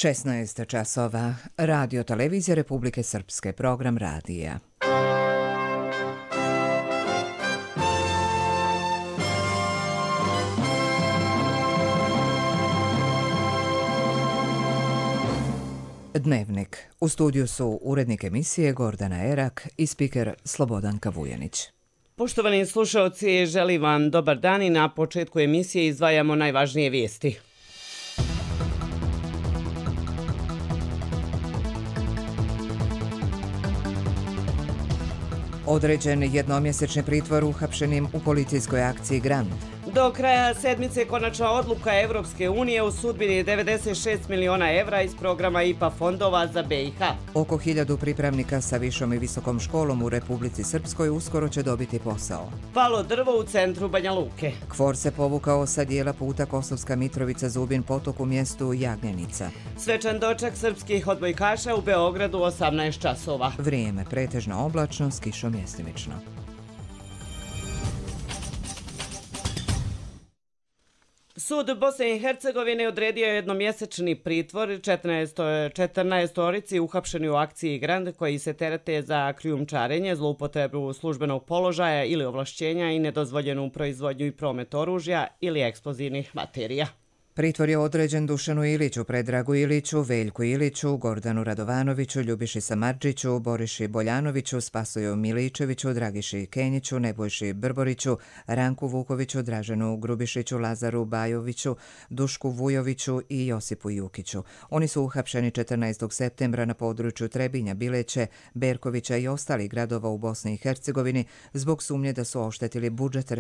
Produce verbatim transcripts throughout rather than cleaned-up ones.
šesnaest časova. Radio Televizija Republike Srpske, program radija. Dnevnik. U studiju su urednik emisije Gordana Erak i spiker Slobodanka Vujanić. Poštovani slušaoci, želim vam dobar dan i na početku emisije izdvajamo najvažnije vijesti. Određen jednomjesečni pritvor uhapšenim u policijskoj akciji Grand. Do kraja sedmice konačna odluka Evropske unije u sudbini devedeset šest miliona evra iz programa I P A fondova za B i H. Oko hiljadu pripravnika sa višom i visokom školom u Republici Srpskoj uskoro će dobiti posao. Palo drvo u centru Banja Luke. Kfor se povukao sa dijela puta Kosovska Mitrovica Zubin potok u mjestu Jagnjenica. Svečan doček srpskih odbojkaša u Beogradu osamnaest časova. Vrijeme pretežno oblačno s kišom mjestimično. Sud Bosne i Hercegovine odredio jednomjesečni pritvor četrnaestorici uhapšeni u akciji Grand koji se terete za krijumčarenje, zloupotrebu službenog položaja ili ovlašćenja i nedozvoljenu proizvodnju i promet oružja ili eksplozivnih materija. Pritvor je određen Dušanu Iliću, Predragu Iliću, Veljku Iliću, Gordanu Radovanoviću, Ljubiši Samardžiću, Boriši Boljanoviću, Spasoju Miličeviću, Dragiši Kenjiću, Nebojši Brboriću, Ranku Vukoviću, Draženu Grubišiću, Lazaru Bajoviću, Dušku Vujoviću i Josipu Jukiću. Oni su uhapšeni četrnaestog septembra na području Trebinja, Bileće, Berkovića i ostalih gradova u Bosni i Hercegovini zbog sumnje da su oštetili budžet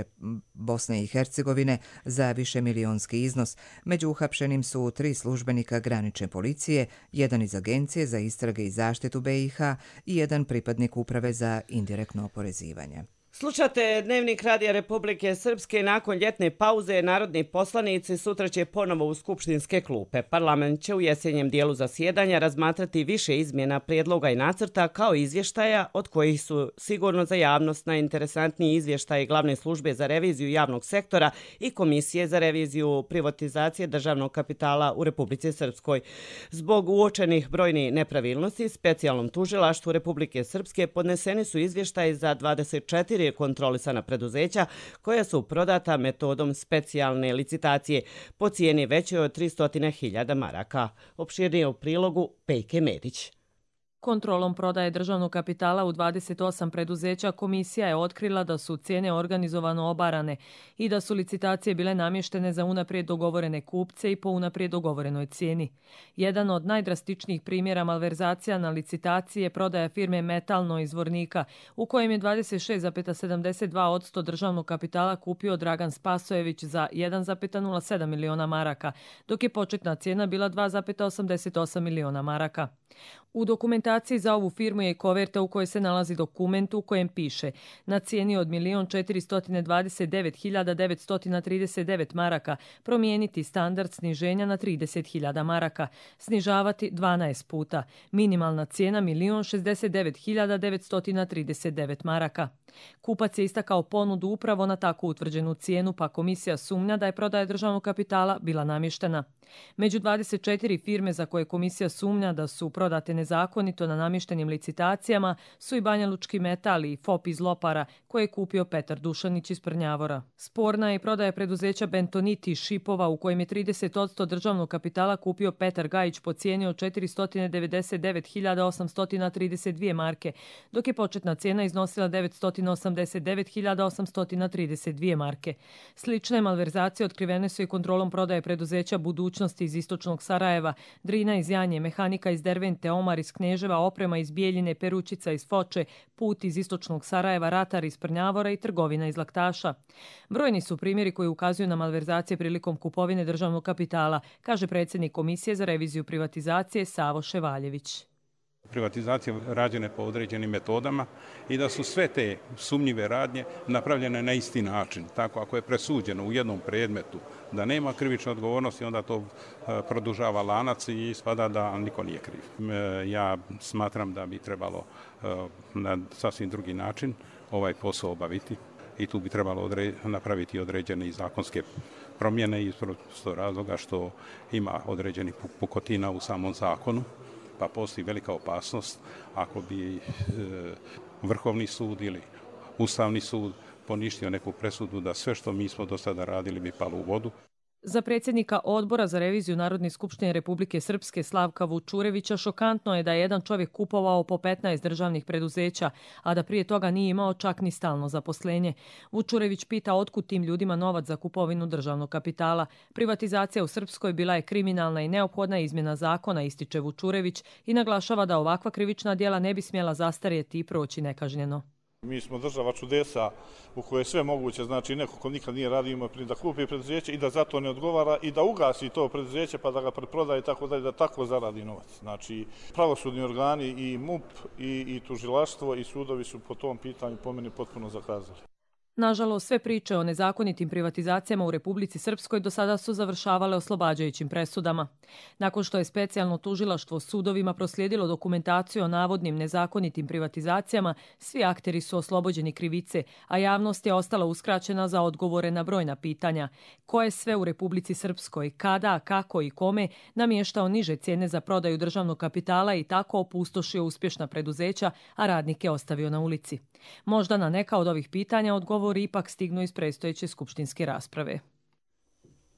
Bosne i Hercegovine za višemilionski iznos. Među uhapšenim su tri službenika granične policije, jedan iz Agencije za istrage i zaštitu B i H i jedan pripadnik Uprave za indirektno oporezivanje. Slušate Dnevnik Radija Republike Srpske. Nakon ljetne pauze narodni poslanici sutra će ponovo u skupštinske klupe. Parlament će u jesenjem dijelu zasjedanja razmatrati više izmjena, prijedloga i nacrta kao izvještaja od kojih su sigurno za javnost najinteresantniji izvještaji Glavne službe za reviziju javnog sektora i Komisije za reviziju privatizacije državnog kapitala u Republici Srpskoj. Zbog uočenih brojnih nepravilnosti, specijalnom tužilaštvu Republike Srpske podneseni su izvještaji za dvadeset četiri kontrolisana preduzeća koja su prodata metodom specijalne licitacije po cijeni većoj od tristo hiljada maraka. Opširnije u prilogu Pejke Medić. Kontrolom prodaje državnog kapitala u dvadeset osam preduzeća komisija je otkrila da su cijene organizovano obarane i da su licitacije bile namještene za unaprijed dogovorene kupce i po unaprijed dogovorenoj cijeni. Jedan od najdrastičnijih primjera malverzacija na licitaciji je prodaja firme Metalno iz Zvornika, u kojem je dvadeset šest zarez sedamdeset dva posto državnog kapitala kupio Dragan Spasojević za jedan zarez nula sedam miliona maraka, dok je početna cijena bila dva zarez osamdeset osam miliona maraka. U dokumentaciji za ovu firmu je koverta u kojoj se nalazi dokument u kojem piše na cijeni od milion četiristo dvadeset devet hiljada devetsto trideset devet maraka promijeniti standard sniženja na trideset hiljada maraka, snižavati dvanaest puta, minimalna cijena milion šezdeset devet hiljada devetsto trideset devet maraka. Kupac je istakao ponudu upravo na tako utvrđenu cijenu, pa komisija sumnja da je prodaja državnog kapitala bila namještena. Među dvadeset četiri firme za koje komisija sumnja da su prodate nezakonito na namještenim licitacijama su i Banja Lučki metal i F O P iz Lopara koje je kupio Petar Dušanić iz Prnjavora. Sporna je i prodaja preduzeća Bentoniti iz Šipova u kojem je trideset posto državnog kapitala kupio Petar Gajić po cijeni od četiristo devedeset devet hiljada osamsto trideset dvije marke, dok je početna cijena iznosila devetsto osamdeset devet hiljada osamsto trideset dvije marke. Slične malverzacije otkrivene su i kontrolom prodaje preduzeća Budućnosti iz Istočnog Sarajeva, Drina iz Janje, Mehanika iz Dervente, Omar iz Kneževa, Oprema iz Bijeljine, Peručica iz Foče, Put iz Istočnog Sarajeva, Ratar iz Prnjavora i Trgovina iz Laktaša. Brojni su primjeri koji ukazuju na malverzacije prilikom kupovine državnog kapitala, kaže predsjednik Komisije za reviziju privatizacije Savo Ševaljević. Privatizacije rađene po određenim metodama i da su sve te sumnjive radnje napravljene na isti način. Tako ako je presuđeno u jednom predmetu da nema krivične odgovornosti, onda to produžava lanac i ispada da niko nije kriv. Ja smatram da bi trebalo na sasvim drugi način ovaj posao obaviti i tu bi trebalo odre- napraviti određene zakonske promjene iz prostog razloga što ima određenih pukotina u samom zakonu, pa postoji velika opasnost ako bi e, Vrhovni sud ili Ustavni sud poništio neku presudu da sve što mi smo do sada radili bi palo u vodu. Za predsjednika Odbora za reviziju Narodne skupštine Republike Srpske Slavka Vučurevića šokantno je da je jedan čovjek kupovao po petnaest državnih preduzeća, a da prije toga nije imao čak ni stalno zaposlenje. Vučurević pita otkud tim ljudima novac za kupovinu državnog kapitala. Privatizacija u Srpskoj bila je kriminalna i neophodna izmjena zakona, ističe Vučurević i naglašava da ovakva krivična djela ne bi smjela zastarjeti i proći nekažnjeno. Mi smo država čudesa u kojoj je sve moguće, znači neko ko nikad nije radio ima da kupi preduzeće i da zato ne odgovara i da ugasi to preduzeće pa da ga preprodaje i tako dalje, da tako zaradi novac. Znači pravosudni organi i MUP i, i tužilaštvo i sudovi su po tom pitanju po meni potpuno zakazali. Nažalost, sve priče o nezakonitim privatizacijama u Republici Srpskoj do sada su završavale oslobađajućim presudama. Nakon što je specijalno tužilaštvo sudovima proslijedilo dokumentaciju o navodnim nezakonitim privatizacijama, svi akteri su oslobođeni krivice, a javnost je ostala uskraćena za odgovore na brojna pitanja. Ko je sve u Republici Srpskoj, kada, kako i kome namještao niže cijene za prodaju državnog kapitala i tako opustošio uspješna preduzeća, a radnike ostavio na ulici? Možda na neka od ovih pitanja odgovor ipak stignu iz predstojeće skupštinske rasprave.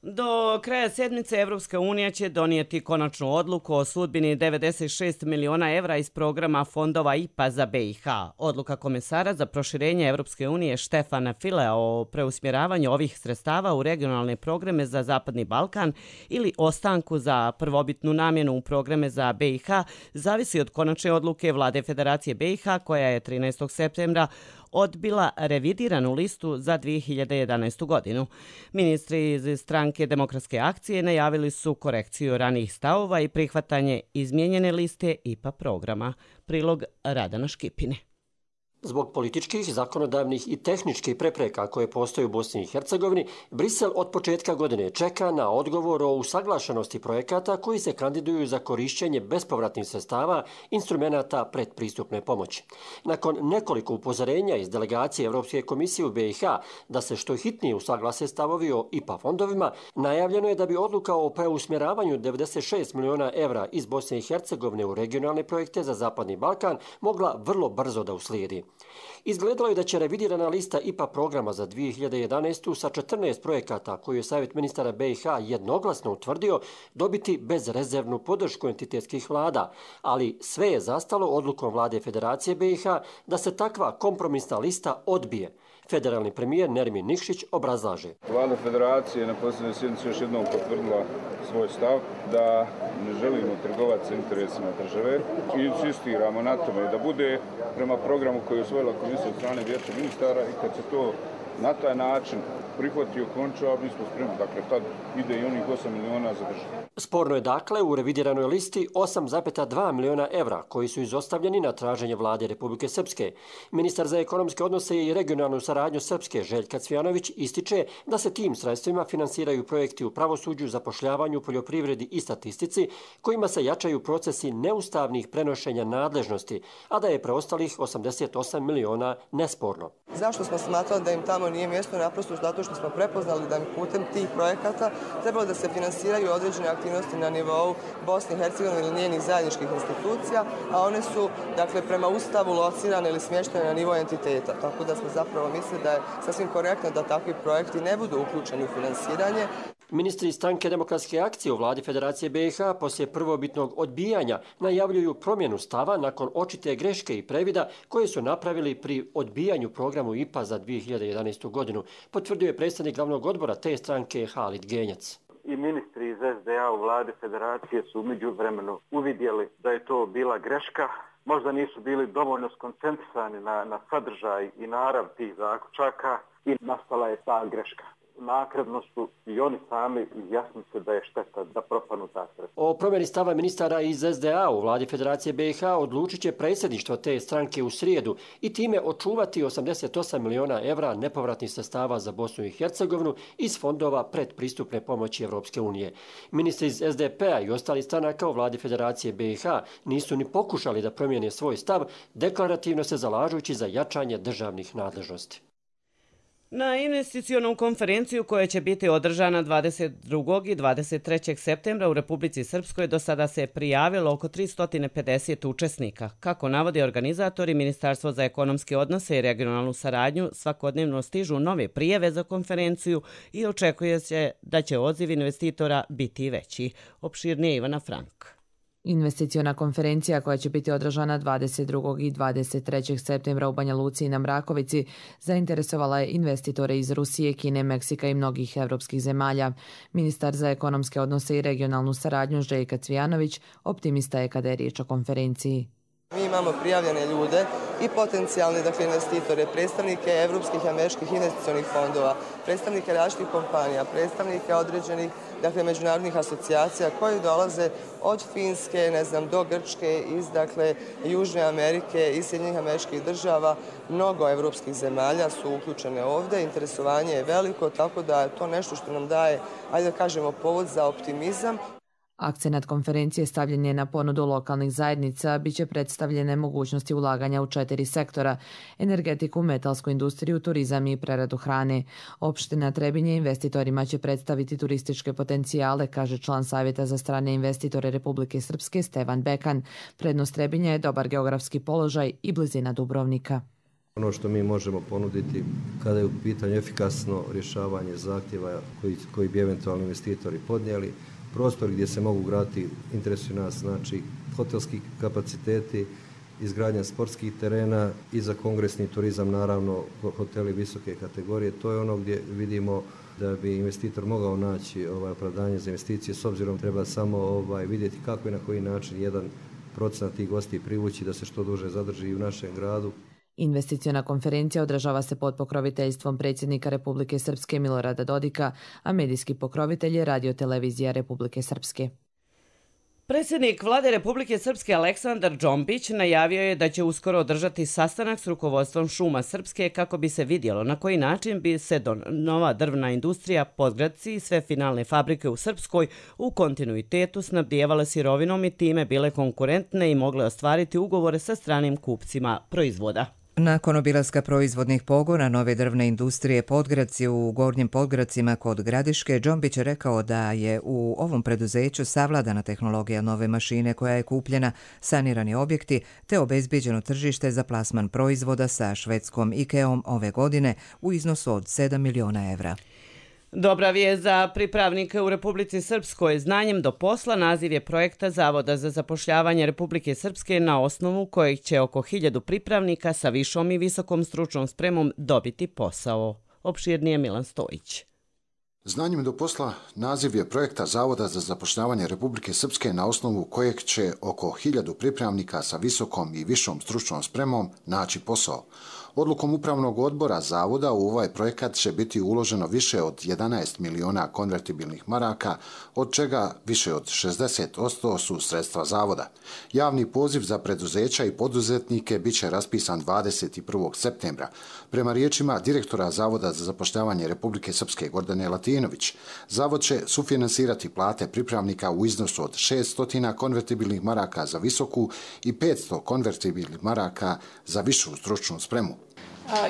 Do kraja sedmice Evropska unija će donijeti konačnu odluku o sudbini devedeset šest miliona evra iz programa fondova I P A za B i H. Odluka komesara za proširenje Evropske unije Štefana Filea o preusmjeravanju ovih sredstava u regionalne programe za Zapadni Balkan ili ostanku za prvobitnu namjenu u programe za B i H zavisi od konačne odluke Vlade Federacije B i H koja je trinaestog septembra odbila revidiranu listu za dvije hiljade jedanaestu godinu. Ministri iz stranke Demokratske akcije najavili su korekciju ranijih stavova i prihvatanje izmijenjene liste I P A programa. Prilog Radana Škipine. Zbog političkih, zakonodavnih i tehničkih prepreka koje postoje u Bosni i Hercegovini, Brisel od početka godine čeka na odgovor o usaglašenosti projekata koji se kandiduju za korišćenje bespovratnih sredstava instrumenata predpristupne pomoći. Nakon nekoliko upozorenja iz delegacije Evropske komisije u B i H da se što hitnije usaglase stavovi o I P A fondovima, najavljeno je da bi odluka o preusmjeravanju devedeset šest miliona evra iz Bosne i Hercegovine u regionalne projekte za Zapadni Balkan mogla vrlo brzo da uslijedi. Izgledalo je da će revidirana lista I P A programa za dvije hiljade jedanaestu sa četrnaest projekata koju je Savjet ministara B i H jednoglasno utvrdio dobiti bezrezervnu podršku entitetskih vlada, ali sve je zastalo odlukom Vlade Federacije B i H da se takva kompromisna lista odbije. Federalni premijer Nermin Nikšić obrazlaže. Vlada Federacije na posljednjoj sjednici još jednom potvrdila svoj stav da ne želimo trgovati sa interesima države i insistiramo na tome da bude prema programu koji je usvojila komisija od strane Vijeća ministara i kad se to na taj način prihvatio konča, mi smo spremni. Dakle, tad ide i onih osam miliona za državu. Sporno je dakle u revidiranoj listi osam zarez dva miliona evra koji su izostavljeni na traženje vlade Republike Srpske. Ministar za ekonomske odnose i regionalnu saradnju Srpske Željka Cvijanović ističe da se tim sredstvima finansiraju projekti u pravosuđu, zapošljavanju, poljoprivredi i statistici kojima se jačaju procesi neustavnih prenošenja nadležnosti, a da je preostalih osamdeset osam miliona nesporno. Zašto smo smatrali da im tamo nije mjesto? Naprosto zato što smo prepoznali da putem tih projekata trebalo da se finansiraju određene aktivnosti na nivou Bosne i Hercegovine ili njenih zajedničkih institucija, a one su dakle prema Ustavu locirane ili smještene na nivo entiteta. Tako da smo zapravo mislili da je sasvim korektno da takvi projekti ne budu uključeni u finansiranje. Ministri stranke Demokratske akcije u vladi Federacije B i H poslije prvobitnog odbijanja najavljuju promjenu stava nakon očite greške i previda koje su napravili pri odbijanju programu I P A za dvije hiljade jedanaestu godinu, potvrdio je predsjednik glavnog odbora te stranke Halid Genjac. I ministri iz S D A u vladi Federacije su umeđu vremenu uvidjeli da je to bila greška. Možda nisu bili dovoljno skoncentrisani na, na sadržaj i narav tih zaključaka i nastala je ta greška. Nakredno su i oni sami izjasnili se da je šteta da propanu ta sredstva. O promjeni stava ministara iz S D A u vladi Federacije B i H odlučit će predsjedništvo te stranke u srijedu i time očuvati osamdeset osam miliona evra nepovratnih sredstava za Bosnu i Hercegovinu iz fondova predpristupne pomoći Evropske unije. Ministri iz S D P-a i ostali stranaka u vladi Federacije B i H nisu ni pokušali da promijene svoj stav, deklarativno se zalažujući za jačanje državnih nadležnosti. Na investicionom konferenciju koja će biti održana dvadeset drugog i dvadeset trećeg septembra u Republici Srpskoj do sada se prijavilo oko tristo pedeset učesnika. Kako navodi organizatori, Ministarstvo za ekonomske odnose i regionalnu saradnju svakodnevno stižu nove prijave za konferenciju i očekuje se da će odziv investitora biti veći. Opširnije Ivana Frank. Investiciona konferencija koja će biti održana dvadeset drugog i dvadeset trećeg septembra u Banja Luci i na Mrakovici zainteresovala je investitore iz Rusije, Kine, Meksika i mnogih evropskih zemalja. Ministar za ekonomske odnose i regionalnu saradnju Željka Cvijanović optimista je kada je riječ o konferenciji. Mi imamo prijavljene ljude i potencijalne dakle, investitore, predstavnike evropskih i američkih investicionih fondova, predstavnike različitih kompanija, predstavnike određenih dakle, međunarodnih asocijacija koji dolaze od Finske, ne znam, do Grčke, iz dakle, Južne Amerike, iz Sjedinjenih američkih država. Mnogo evropskih zemalja su uključene ovdje, interesovanje je veliko, tako da je to nešto što nam daje, ajde da kažemo, povod za optimizam. Akcenat konferencije stavljen je na ponudu lokalnih zajednica, bit će predstavljene mogućnosti ulaganja u četiri sektora: energetiku, metalsku industriju, turizam i preradu hrane. Opština Trebinje investitorima će predstaviti turističke potencijale, kaže član Savjeta za strane investitore Republike Srpske Stevan Bekan. Prednost Trebinja je dobar geografski položaj i blizina Dubrovnika. Ono što mi možemo ponuditi kada je u pitanju efikasno rješavanje zahtjeva koji, koji bi eventualni investitori podnijeli, prostor gdje se mogu graditi, interesuju nas, znači hotelski kapaciteti, izgradnja sportskih terena i za kongresni turizam, naravno hoteli visoke kategorije. To je ono gdje vidimo da bi investitor mogao naći ovaj, opravdanje za investicije, s obzirom treba samo ovaj, vidjeti kako i na koji način jedan procenat tih gosti privući da se što duže zadrži u našem gradu. Investiciona konferencija održava se pod pokroviteljstvom predsjednika Republike Srpske Milorada Dodika, a medijski pokrovitelj je Radio-televizija Republike Srpske. Predsjednik Vlade Republike Srpske Aleksandar Džombić najavio je da će uskoro održati sastanak s rukovodstvom Šuma Srpske kako bi se vidjelo na koji način bi se nova drvna industrija, Podgradci i sve finalne fabrike u Srpskoj u kontinuitetu snabdijevale sirovinom i time bile konkurentne i mogle ostvariti ugovore sa stranim kupcima proizvoda. Nakon obilaska proizvodnih pogona nove drvne industrije Podgradci u Gornjim Podgradcima kod Gradiške, Džombić je rekao da je u ovom preduzeću savladana tehnologija nove mašine koja je kupljena, sanirani objekti te obezbijeđeno tržište za plasman proizvoda sa švedskom Ikeom ove godine u iznosu od sedam miliona evra. Dobra vijest za pripravnike u Republici Srpskoj. Znanjem do posla naziv je projekta Zavoda za zapošljavanje Republike Srpske na osnovu kojeg će oko hiljadu pripravnika sa višom i visokom stručnom spremom dobiti posao. Opširnije Milan Stojić. Znanjem do posla naziv je projekta Zavoda za zapošljavanje Republike Srpske na osnovu kojeg će oko hiljadu pripravnika sa visokom i višom stručnom spremom naći posao. Odlukom Upravnog odbora Zavoda u ovaj projekat će biti uloženo više od jedanaest miliona konvertibilnih maraka, od čega više od šezdeset posto su sredstva Zavoda. Javni poziv za preduzeća i poduzetnike bit će raspisan dvadeset prvog septembra. Prema riječima direktora Zavoda za zapošljavanje Republike Srpske Gordane Latinović, Zavod će sufinansirati plate pripravnika u iznosu od šesto konvertibilnih maraka za visoku i petsto konvertibilnih maraka za višu stručnu spremu.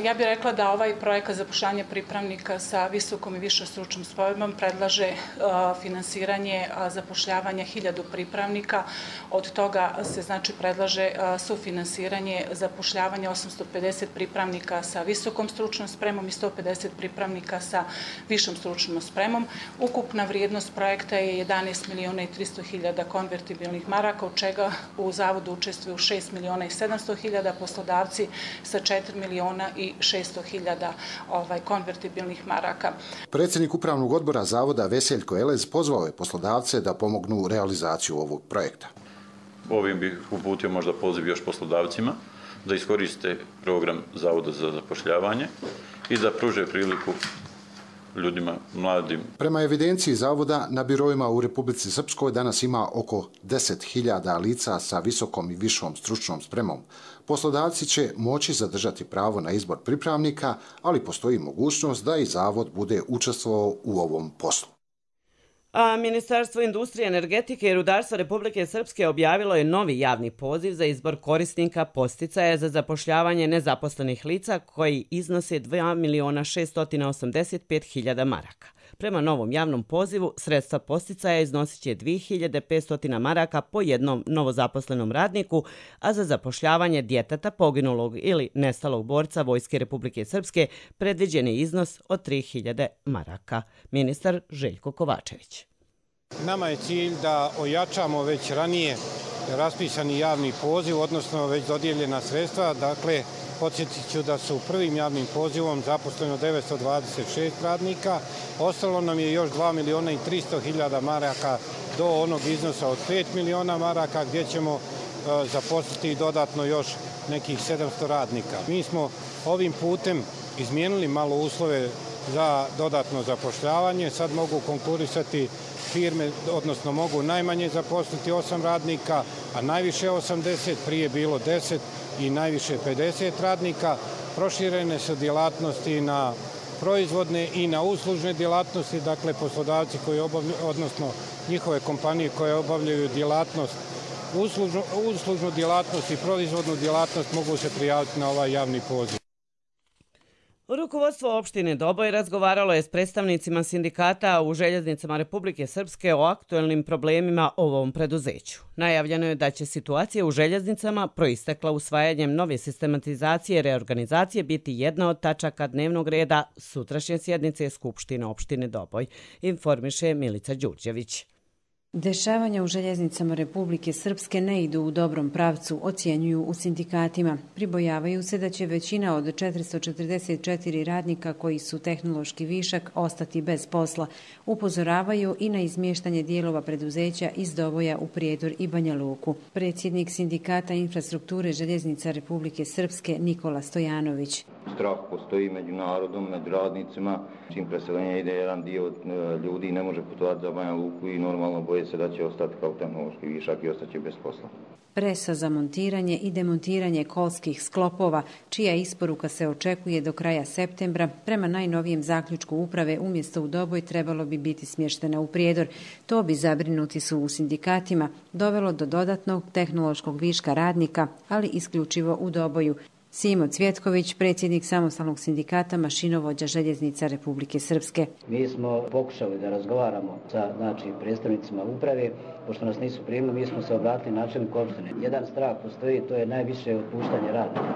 Ja bih rekla da ovaj projekat zapošljavanja pripravnika sa visokom i višom stručnom spremom predlaže finansiranje zapošljavanja hiljadu pripravnika. Od toga se znači predlaže sufinansiranje zapošljavanja osamsto pedeset pripravnika sa visokom stručnom spremom i sto pedeset pripravnika sa višom stručnom spremom. Ukupna vrijednost projekta je jedanaest miliona i tristo hiljada konvertibilnih maraka, od čega u Zavodu učestvuju šest miliona i sedamsto hiljada, poslodavci sa četiri miliona i šesto hiljada ovaj, konvertibilnih maraka. Predsjednik Upravnog odbora Zavoda Veseljko Elez pozvao je poslodavce da pomognu u realizaciju ovog projekta. Ovim bih uputio možda poziv još poslodavcima da iskoriste program Zavoda za zapošljavanje i da pruže priliku ljudima, mladim. Prema evidenciji Zavoda, na biroima u Republici Srpskoj danas ima oko deset hiljada lica sa visokom i višom stručnom spremom. Poslodavci će moći zadržati pravo na izbor pripravnika, ali postoji mogućnost da i Zavod bude učestvovao u ovom poslu. A Ministarstvo industrije, energetike i rudarstva Republike Srpske objavilo je novi javni poziv za izbor korisnika podsticaja za zapošljavanje nezaposlenih lica koji iznose dva miliona šeststo osamdeset pet hiljada maraka. Prema novom javnom pozivu, sredstva podsticaja iznosit će dve hiljade petsto maraka po jednom novozaposlenom radniku, a za zapošljavanje djeteta poginulog ili nestalog borca Vojske Republike Srpske predviđen je iznos od tri hiljade maraka. Ministar Željko Kovačević. Nama je cilj da ojačamo već ranije raspisani javni poziv, odnosno već dodijeljena sredstva. Dakle, podsjetit ću da su prvim javnim pozivom zaposleno devetsto dvadeset šest radnika. Ostalo nam je još dva miliona i tristo hiljada maraka do onog iznosa od pet miliona maraka gdje ćemo zaposliti dodatno još nekih sedamsto radnika. Mi smo ovim putem izmijenili malo uslove za dodatno zapošljavanje. Sad mogu konkurisati firme, odnosno mogu najmanje zaposliti osam radnika, a najviše osamdeset, prije bilo deset i najviše pedeset radnika. Proširene su djelatnosti na proizvodne i na uslužne djelatnosti, dakle poslodavci koji obavljaju, odnosno njihove kompanije koje obavljaju djelatnost, uslužnu, uslužnu djelatnost i proizvodnu djelatnost mogu se prijaviti na ovaj javni poziv. Rukovodstvo opštine Doboj razgovaralo je s predstavnicima sindikata u Željeznicama Republike Srpske o aktuelnim problemima ovom preduzeću. Najavljeno je da će situacija u željeznicama proistekla usvajanjem nove sistematizacije i reorganizacije biti jedna od tačaka dnevnog reda sutrašnje sjednice Skupštine opštine Doboj, informiše Milica Đurđević. Dešavanja u željeznicama Republike Srpske ne idu u dobrom pravcu, ocjenjuju u sindikatima. Pribojavaju se da će većina od četiristo četrdeset četiri radnika koji su tehnološki višak ostati bez posla. Upozoravaju i na izmještanje dijelova preduzeća iz Doboja u Prijedor i Banja Luku. Predsjednik sindikata infrastrukture željeznica Republike Srpske Nikola Stojanović. Strah postoji među narodom, među radnicima. Čim preseljenje ide, jedan dio ljudi ne može putovati za Banja Luku i normalno boje se da će ostati kao tehnološki višak i ostaće bez posla. Presa za montiranje i demontiranje kolskih sklopova, čija isporuka se očekuje do kraja septembra, prema najnovijem zaključku uprave umjesto u Doboj trebalo bi biti smještena u Prijedor. To bi, zabrinuti su u sindikatima, dovelo do dodatnog tehnološkog viška radnika, ali isključivo u Doboju. Simo Cvjetković, predsjednik samostalnog sindikata mašinovođa željeznica Republike Srpske. Mi smo pokušali da razgovaramo sa znači, predstavnicima uprave, pošto nas nisu primili, mi smo se obratili načelniku opštine. Jedan strah postoji, to je najviše otpuštanje radnika.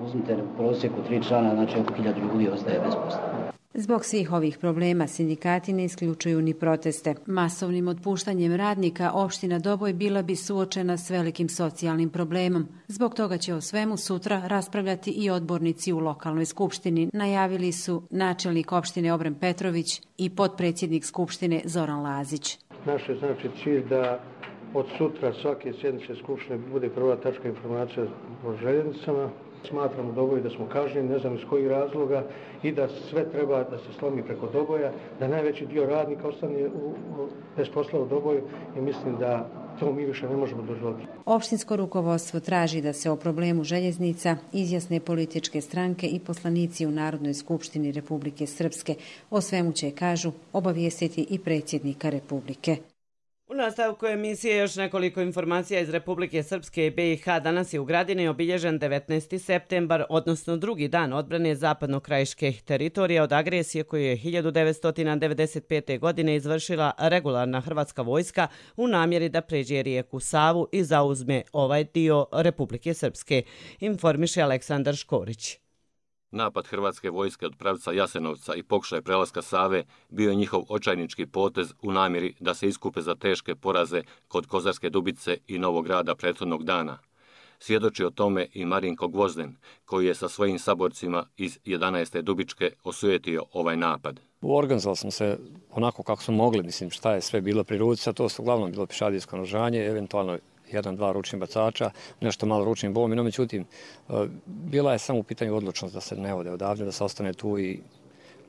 Uzmite u prosjeku tri člana, znači oko hiljadu ljudi ostaje bez posla. Zbog svih ovih problema sindikati ne isključuju ni proteste. Masovnim otpuštanjem radnika opština Doboj bila bi suočena s velikim socijalnim problemom. Zbog toga će o svemu sutra raspravljati i odbornici u lokalnoj skupštini, najavili su načelnik opštine Obren Petrović i potpredsjednik skupštine Zoran Lazić. Naš je znači cilj da od sutra svake sjednice skupštine bude prva tačka informacija o željeznicama. Smatramo Doboj da smo kažnjeni, ne znam iz kojih razloga, i da sve treba da se slomi preko Doboja, da najveći dio radnika ostane u, u, bez posla u Doboju i mislim da to mi više ne možemo dozvoliti. Opštinsko rukovodstvo traži da se o problemu željeznica izjasne političke stranke i poslanici u Narodnoj skupštini Republike Srpske. O svemu će, kažu, obavijestiti i predsjednika Republike. U nastavku emisije još nekoliko informacija iz Republike Srpske i B i H. Danas je u Gradini obilježen devetnaesti septembar, odnosno drugi dan odbrane zapadnokrajiških teritorija od agresije koju je hiljadu devetsto devedeset pete. godine izvršila regularna hrvatska vojska u namjeri da pređe rijeku Savu i zauzme ovaj dio Republike Srpske, informiše Aleksandar Škorić. Napad hrvatske vojske od pravca Jasenovca i pokušaj prelaska Save bio je njihov očajnički potez u namjeri da se iskupe za teške poraze kod Kozarske Dubice i Novog Grada prethodnog dana. Svjedoči o tome i Marinko Gvozden, koji je sa svojim saborcima iz jedanaeste Dubičke osujetio ovaj napad. Organizovali smo se onako kako smo mogli, mislim šta je sve bilo pri ruci, a to su uglavnom bilo pišadijsko naoružanje, eventualno jedan, dva ručnih bacača, nešto malo ručnim bolom. No, međutim, bila je samo u pitanju odlučnost da se ne ode odavde, da se ostane tu i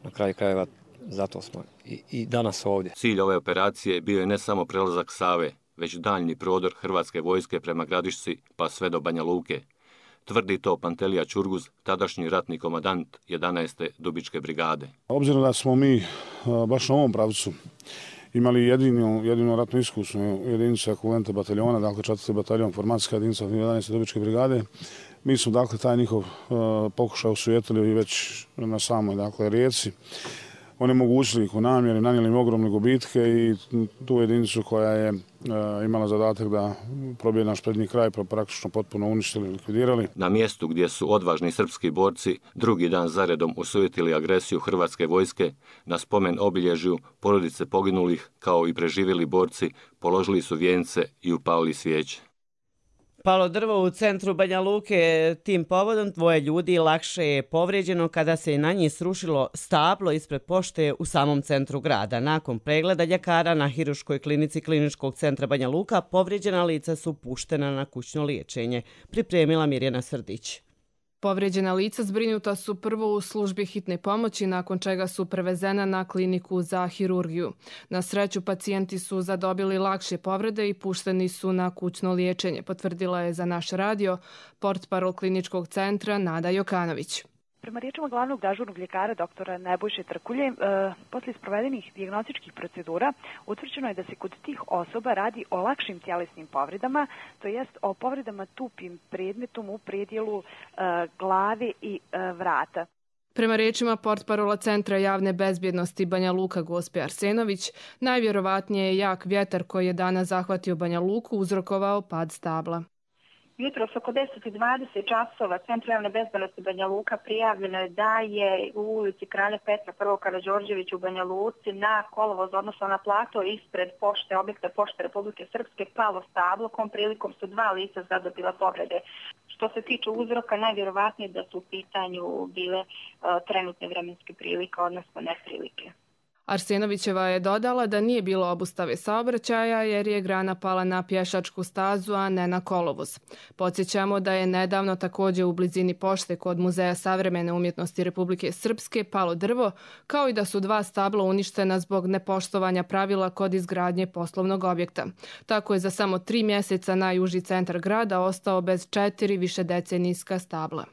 na kraju krajeva zato smo i, i danas ovdje. Cilj ove operacije bio je ne samo prelazak Save, već daljni prodor hrvatske vojske prema Gradišci pa sve do Banja Luke. Tvrdi to Pantelija Čurguz, tadašnji ratni komandant jedanaeste Dubičke brigade. Obzirom da smo mi baš na ovom pravcu imali jedinu, jedinu ratnu iskusnu jedinicu ekvivalenta bataljona, dakle četvrti bataljon, formacijska jedinica jedanaeste dobitčke brigade. Mi smo dakle taj njihov uh, pokušaj osujetili već na samoj dakle rijeci. Onemogućili ih u namjeri, nanijeli im ogromne gubitke i tu jedinicu koja je uh, imala zadatak da probije naš prednji kraj, pa praktično potpuno uništili i likvidirali. Na mjestu gdje su odvažni srpski borci drugi dan zaredom osujetili agresiju hrvatske vojske, na spomen obilježju porodice poginulih kao i preživjeli borci položili su vijence i upalili svijeće. Palo drvo u centru Banja Luke, tim povodom dvoje ljudi lakše je povrijeđeno kada se na njih srušilo stablo ispred pošte u samom centru grada. Nakon pregleda ljekara na Hiruškoj klinici Kliničkog centra Banja Luka, povrijeđena lica su puštena na kućno liječenje, pripremila Mirjana Srdić. Povrijeđena lica zbrinuta su prvo u službi hitne pomoći, nakon čega su prevezena na kliniku za hirurgiju. Na sreću, pacijenti su zadobili lakše povrede i pušteni su na kućno liječenje, potvrdila je za naš radio portparol Kliničkog centra Nada Jokanović. Prema riječima glavnog dežurnog ljekara doktora Nebojše Trkulje, e, posle sprovedenih dijagnostičkih procedura utvrđeno je da se kod tih osoba radi o lakšim tjelesnim povredama, to jest o povredama tupim predmetom u predjelu e, glave i e, vrata. Prema riječima portparola Centra javne bezbjednosti Banja Luka Gospe Arsenović, najvjerovatnije je jak vjetar koji je danas zahvatio Banja Luku uzrokovao pad stabla. Jutros oko deset i dvadeset časova Centru javne bezbjednosti Banja Luka prijavljeno je da je u ulici Kralja Petra prvog Karađorđevića u Banja Luci na kolovoz, odnosno na plato ispred pošte, objekta Pošte Republike Srpske, palo stablo, kom prilikom su dva lica zadobila povrede. Što se tiče uzroka, najvjerovatnije da su u pitanju bile uh, trenutne vremenske prilike, odnosno neprilike. Arsenovićeva je dodala da nije bilo obustave saobraćaja jer je grana pala na pješačku stazu, a ne na kolovoz. Podsjećamo da je nedavno također u blizini pošte kod Muzeja savremene umjetnosti Republike Srpske palo drvo, kao i da su dva stabla uništena zbog nepoštovanja pravila kod izgradnje poslovnog objekta. Tako je za samo tri mjeseca najuži centar grada ostao bez četiri višedecenijska stabla.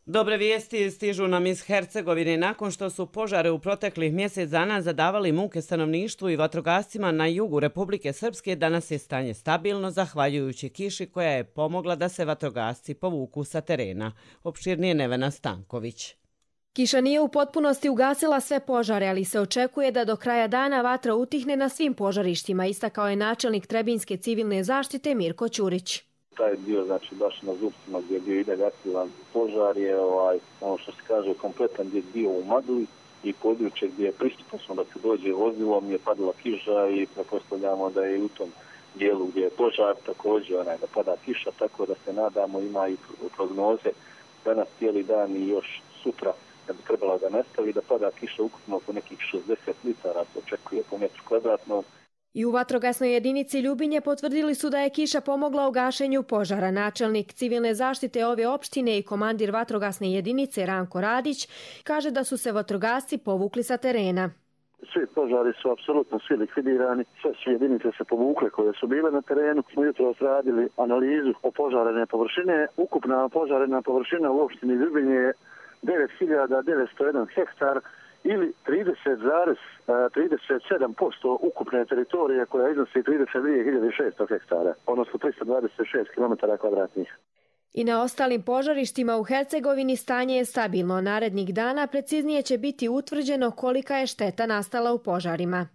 Dobre vijesti stižu nam iz Hercegovine. Nakon što su požare u proteklih mjesec dana zadavali muke stanovništvu i vatrogascima na jugu Republike Srpske, danas je stanje stabilno zahvaljujući kiši koja je pomogla da se vatrogasci povuku sa terena. Opširnije Nevena Stanković. Kiša nije u potpunosti ugasila sve požare, ali se očekuje da do kraja dana vatra utihne na svim požarištima, istakao je načelnik Trebinjske civilne zaštite Mirko Ćurić. Taj dio, znači, baš na Zupcima gdje je bio i negativan požar je, ovaj, ono što se kaže, kompletan gdje je bio u magli i područje gdje je pristupačno da se dođe vozilom je padala kiša i prepostavljamo da je u tom dijelu gdje je požar također onaj, da pada kiša, tako da se nadamo, ima i prognoze danas cijeli dan i još sutra da bi trebala da nastavi da pada kiša ukupno oko nekih šezdeset litara, se očekuje po metru kvadratnom. I u vatrogasnoj jedinici Ljubinje potvrdili su da je kiša pomogla u gašenju požara. Načelnik civilne zaštite ove opštine i komandir vatrogasne jedinice Ranko Radić kaže da su se vatrogasci povukli sa terena. Svi požari su apsolutno svi likvidirani, sve su jedinice se povukle koje su bile na terenu. Smo jutro radili analizu o požarene površine. Ukupna požarena površina u opštini Ljubinje je devet hiljada devetsto jedan hektar, ili trideset zarez trideset sedam posto ukupne teritorije koja iznosi trideset dvije hiljade šesto hektara, odnosno tristo dvadeset šest kilometara kvadratnih. I na ostalim požarištima u Hercegovini stanje je stabilno. Narednih dana preciznije će biti utvrđeno kolika je šteta nastala u požarima.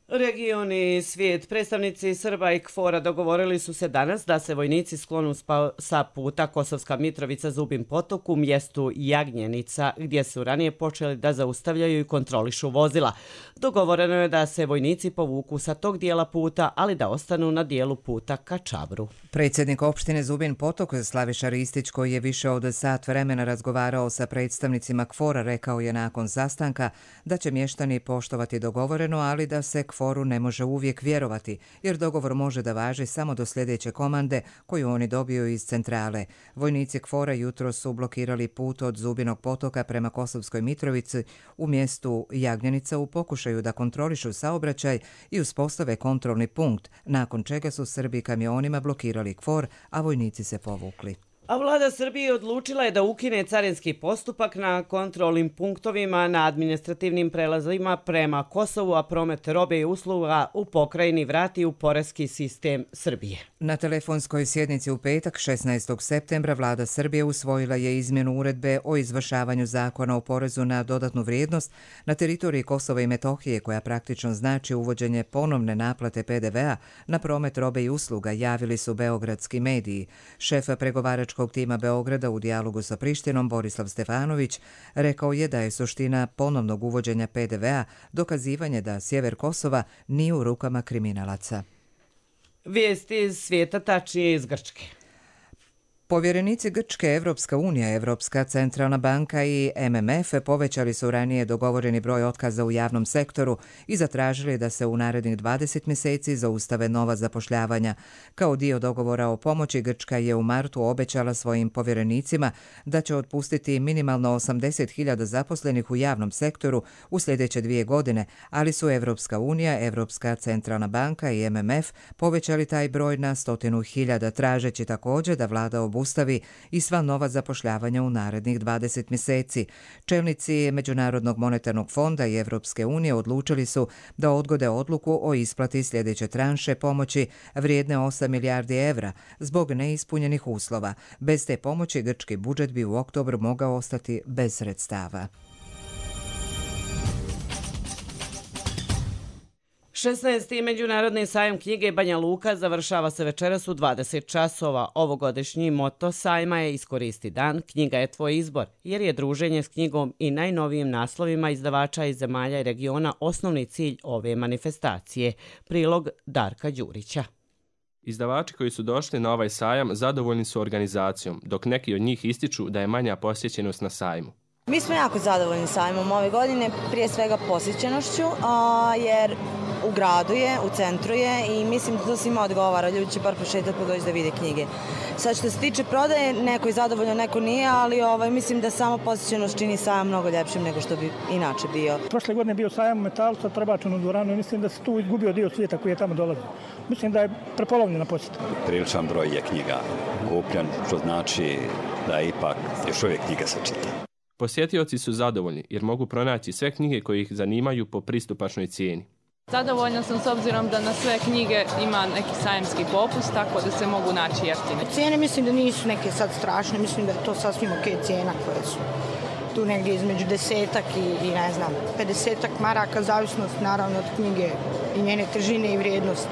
Region i svijet. Predstavnici Srba i Kfora dogovorili su se danas da se vojnici sklonu sa puta Kosovska Mitrovica Zubin Potok u mjestu Jagnjenica, gdje su ranije počeli da zaustavljaju i kontrolišu vozila. Dogovoreno je da se vojnici povuku sa tog dijela puta, ali da ostanu na dijelu puta ka Čabru. Predsjednik opštine Zubin Potok, Slaviša Ristić, koji je više od sat vremena razgovarao sa predstavnicima Kfora, rekao je nakon sastanka da će mještani poštovati dogovoreno, ali da se Kforu ne može uvijek vjerovati, jer dogovor može da važi samo do sljedeće komande koju oni dobiju iz centrale. Vojnici Kfora jutro su blokirali put od Zubinog Potoka prema Kosovskoj Mitrovici u mjestu Jagnjenica u pokušaju da kontrolišu saobraćaj i uspostave kontrolni punkt, nakon čega su Srbi kamionima blokirali Kfor, a vojnici se povukli. A vlada Srbije odlučila je da ukine carinski postupak na kontrolnim punktovima na administrativnim prelazima prema Kosovu, a promet robe i usluga u pokrajini vrati u poreski sistem Srbije. Na telefonskoj sjednici u petak, šesnaestog septembra, vlada Srbije usvojila je izmjenu uredbe o izvršavanju zakona o porezu na dodatnu vrijednost na teritoriji Kosova i Metohije, koja praktično znači uvođenje ponovne naplate P D V-a na promet robe i usluga, javili su beogradski mediji. Šef pregovaračkog tima Beograda u dijalogu sa Prištinom, Borislav Stefanović, rekao je da je suština ponovnog uvođenja P D V-a dokazivanje da sjever Kosova nije u rukama kriminalaca. Vijesti iz svijeta, tačnije iz Grčke. Povjerenici Grčke, Evropska unija, Evropska centralna banka i M M F povećali su ranije dogovoreni broj otkaza u javnom sektoru i zatražili da se u narednih dvadeset mjeseci zaustave nova zapošljavanja. Kao dio dogovora o pomoći, Grčka je u martu obećala svojim povjerenicima da će otpustiti minimalno osamdeset hiljada zaposlenih u javnom sektoru u sljedeće dvije godine, ali su Evropska unija, Evropska centralna banka i M M F povećali taj broj na stotinu hiljada, tražeći također da vlada obustavi i sva nova zapošljavanja u narednih dvadeset mjeseci. Čelnici Međunarodnog monetarnog fonda i Evropske unije odlučili su da odgode odluku o isplati sljedeće tranše pomoći vrijedne osam milijardi evra zbog neispunjenih uslova. Bez te pomoći grčki budžet bi u oktobru mogao ostati bez sredstava. šesnaesti. Međunarodni sajam knjige Banja Luka završava se večeras u dvadeset časova. Ovogodišnji moto sajma je Iskoristi dan, knjiga je tvoj izbor, jer je druženje s knjigom i najnovijim naslovima izdavača iz zemalja i regiona osnovni cilj ove manifestacije. Prilog Darka Đurića. Izdavači koji su došli na ovaj sajam zadovoljni su organizacijom, dok neki od njih ističu da je manja posjećenost na sajmu. Mi smo jako zadovoljni sajmom ove godine, prije svega posjećenošću, jer u gradu je, u centru je i mislim da to svima odgovara. Ljudi će bar prošetati pa doći da vide knjige. Sad što se tiče prodaje, neko je zadovoljan, neko nije, ali ovaj, mislim da samo posjećenost čini sajam mnogo ljepšim nego što bi inače bio. Prošle godine je bio sajam Metal sa Trbačanu dvoranu i mislim da se tu izgubio dio svijeta koji je tamo dolazio. Mislim da je prepolovljena posjeta. Priličan broj je knjiga kupljen, što znači da ipak još uvijek knjiga se čita. Posjetioci su zadovoljni jer mogu pronaći sve knjige koje ih zanimaju po pristupačnoj cijeni. Zadovoljna sam s obzirom da na sve knjige ima neki sajamski popust, tako da se mogu naći jeftine. Cijene mislim da nisu neke sad strašne, mislim da je to sasvim ok cijena koje su tu negdje između desetak i, i ne znam, pedesetak maraka, zavisnost naravno od knjige i njene težine i vrijednosti.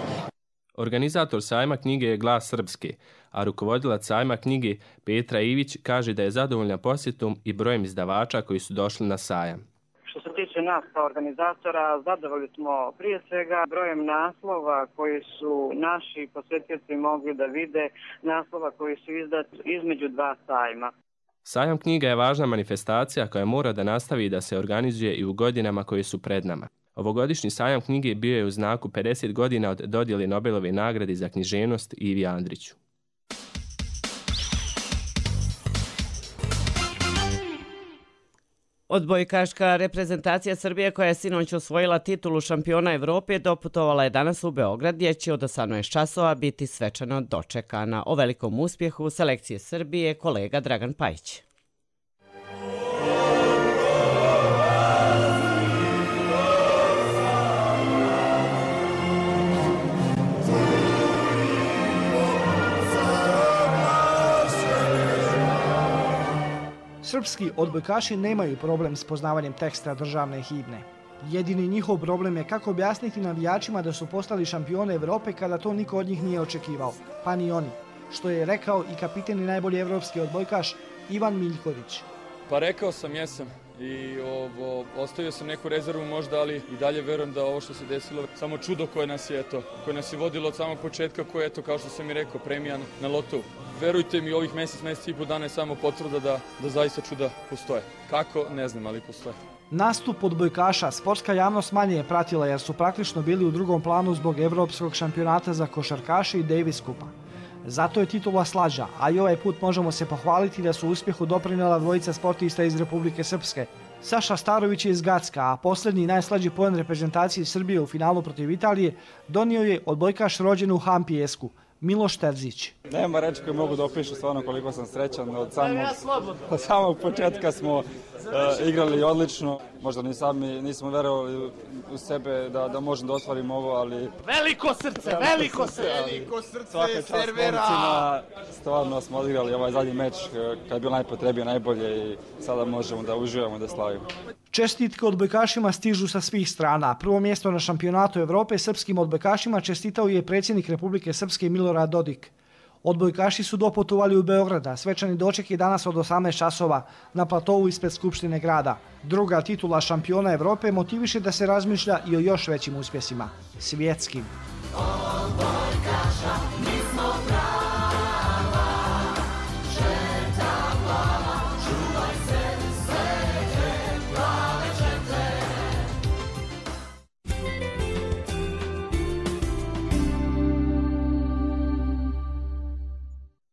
Organizator sajma knjige je Glas Srpske, a rukovodilac sajma knjige Petra Ivić kaže da je zadovoljna posjetom i brojem izdavača koji su došli na sajam. Što se tiče nas kao organizatora, zadovoljni smo prije svega brojem naslova koji su naši posjetioci mogli da vide, naslova koji su izdati između dva sajma. Sajam knjiga je važna manifestacija koja mora da nastavi da se organizuje i u godinama koje su pred nama. Ovogodišnji sajam knjige bio je u znaku pedeset godina od dodjele Nobelove nagrade za književnost Ivi Andriću. Odbojkaška reprezentacija Srbije, koja je sinoć osvojila titulu šampiona Evrope, doputovala je danas u Beograd, gdje će od osamnaest časova biti svečano dočekana. O velikom uspjehu selekcije Srbije kolega Dragan Pajić. Srpski odbojkaši nemaju problem s poznavanjem teksta državne himne. Jedini njihov problem je kako objasniti navijačima da su postali šampione Evrope kada to niko od njih nije očekivao, pa ni oni, što je rekao i kapiten i najbolji evropski odbojkaš Ivan Miljković. Pa rekao sam jesam i ovo, ostavio sam neku rezervu možda, ali i dalje verujem da ovo što se desilo samo čudo koje nas je, eto, koje nas je vodilo od samog početka, koje je, eto, kao što sam i rekao, premija na lotovu. Verujte mi, ovih mjesec, mjesec i po dana je samo potvrda da, da zaista čuda postoje. Kako, ne znam, ali postoje. Nastup odbojkaša sportska javnost manje je pratila jer su praktično bili u drugom planu zbog Evropskog šampionata za košarkaše i Davis Kupa. Zato je titula slađa, a i ovaj put možemo se pohvaliti da su uspjehu doprinjela dvojica sportista iz Republike Srpske. Saša Starović je iz Gacka, a posljednji i najslađi poen reprezentacije Srbije u finalu protiv Italije donio je odbojkaš rođen u Hampijesku, Miloš Terzić. Nema reći koje mogu da opišu stvarno koliko sam srećan. Od samog, od samog početka smo uh, igrali odlično. Možda ni sami nismo verovali u sebe da, da možemo da ostvarimo ovo, ali... Veliko srce, veliko srce! Veliko srce, servera! Stvarno smo odigrali ovaj zadnji meč kad je bilo najpotrebije, najbolje i sada možemo da uživamo da slavimo. Čestitke odbojkašima stižu sa svih strana. Prvo mjesto na šampionatu Evrope srpskim odbojkašima čestitao je predsjednik Republike Srpske Milorad Dodik. Odbojkaši su doputovali u Beograda. Svečani doček je danas od osamnaest časova na platovu ispred Skupštine grada. Druga titula šampiona Evrope motiviše da se razmišlja i o još većim uspjesima. Svjetskim. Odbojkaša, mi smo prava, žeta plava, čuvaj se, sveće, plave žete.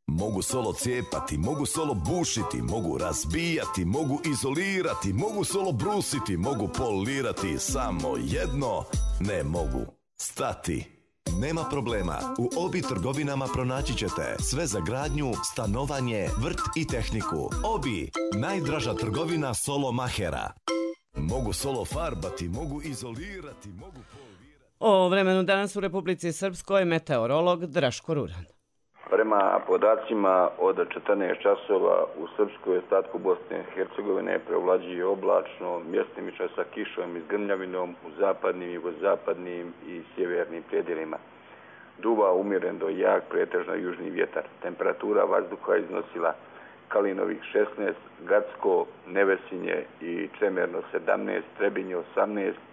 Mogu solo cijepati, mogu solo bušiti, mogu razbijati, mogu izolirati, mogu solo brusiti, mogu polirati, samo jedno ne mogu stati. Nema problema, u Obi trgovinama pronaći ćete sve za gradnju, stanovanje, vrt i tehniku. Obi, najdraža trgovina solo mahera. Mogu solo farbati, mogu izolirati, mogu polirati. O vremenu danas u Republici Srpskoj meteorolog Draško Ruran. Prema podacima od četrnaest časova u Srpskoj ostatku Bosne i Hercegovine prevlađuje oblačno, mjestimično sa kišom i zgrmljavinom u zapadnim, jugozapadnim i sjevernim predjelima. Duva umjeren do jak, pretežno južni vjetar. Temperatura vazduha iznosila Kalinovih šesnaest, Gacko, Nevesinje i Čemerno sedamnaest, Trebinje osamnaest,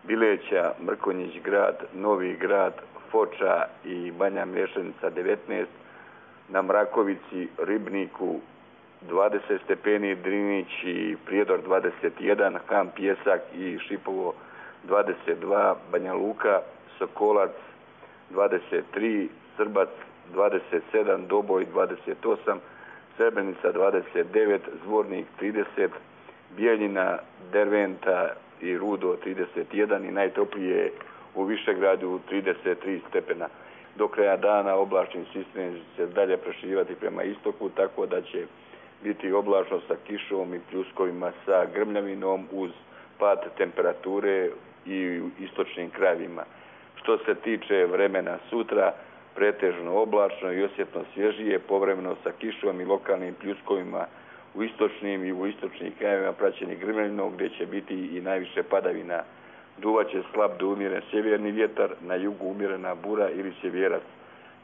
Bileća, Mrkonjić grad, Novi grad, Foča i Banja Mlješenica devetnaest, na Mrakovici, Ribniku dvadeset stepeni, Drinić i Prijedor dvadeset jedan, Ham Pjesak i Šipovo dvadeset dva, Banja Luka, Sokolac dvadeset tri, Srbac dvadeset sedam, Doboj dvadeset osam, Srebrenica dvadeset devet, Zvornik trideset, Bijeljina, Derventa i Rudo trideset jedan i najtoplije u Višegradu trideset tri stepena. Do kraja dana oblačni sistem će se dalje proširivati prema istoku, tako da će biti oblačno sa kišom i pljuskovima sa grmljavinom uz pad temperature i u istočnim krajevima. Što se tiče vremena sutra, pretežno oblačno i osjetno svježije, povremeno sa kišom i lokalnim pljuskovima u istočnim i u istočnim krajevima praćeni grmljavinom gdje će biti i najviše padavina. Duvaće slab do umjeren sjeverni vjetar, na jugu umjerena bura ili sjeverac.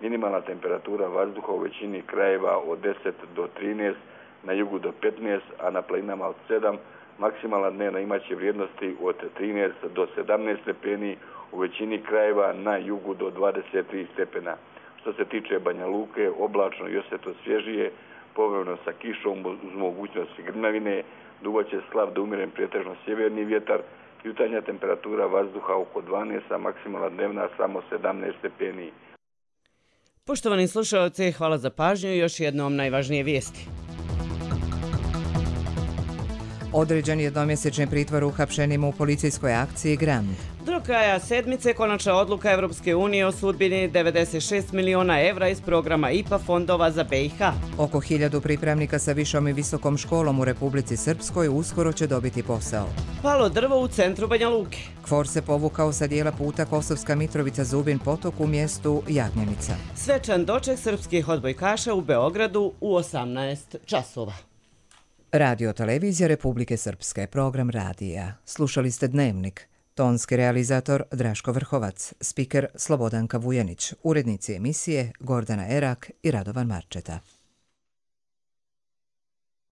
Minimalna temperatura vazduha u većini krajeva od deset do trinaest, na jugu do petnaest, a na planinama od sedam. Maksimalna dnevna imaće vrijednosti od trinaest do sedamnaest stepeni, u većini krajeva na jugu do dvadeset tri stepena. Što se tiče Banja Luke, oblačno i osjetno svježije, povremeno sa kišom uz mogućnost grmljavine, duvaće slab do umjeren pretežno sjeverni vjetar, jutarnja temperatura vazduha oko dvanaest, a maksimalna dnevna samo sedamnaest stepeni. Poštovani slušalci, hvala za pažnju i još jednom najvažnije vijesti. Određen jednomjesečni pritvor uhapšenima u policijskoj akciji Gram. Do kraja sedmice konačna odluka Evropske unije o sudbini devedeset šest miliona evra iz programa I P A fondova za B i H. Oko hiljadu pripravnika sa višom i visokom školom u Republici Srpskoj uskoro će dobiti posao. Palo drvo u centru Banja Luke. Kfor se povukao sa dijela puta Kosovska Mitrovica-Zubin potok u mjestu Jagnjenica. Svečan doček srpskih odbojkaša u Beogradu u osamnaest časova. Radio televizija Republike Srpske, program radija. Slušali ste Dnevnik. Tonski realizator Draško Vrhovac, spiker Slobodanka Vujanić, urednici emisije Gordana Erak i Radovan Marčeta.